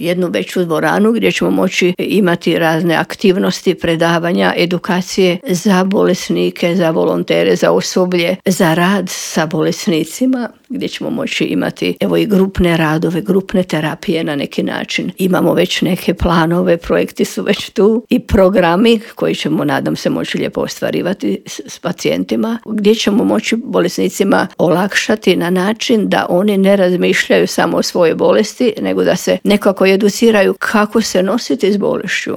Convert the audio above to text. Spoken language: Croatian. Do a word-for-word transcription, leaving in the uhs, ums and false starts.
jednu veću dvoranu gdje ćemo moći imati razne aktivnosti, predavanja, edukacije za bolesnike, za volontere, za osoblje, za rad sa bolesnicima, gdje ćemo moći imati evo i grupne radove, grupne terapije na neki način. Imamo već neke planove, projekti su već tu i programi koji ćemo, nadam se, moći lijepo ostvarivati s, s pacijentima, gdje ćemo moći bolesnicima olakšati na način da oni ne razmišljaju samo o svojoj bolesti, nego da se nekako educiraju kako se nositi s bolešću.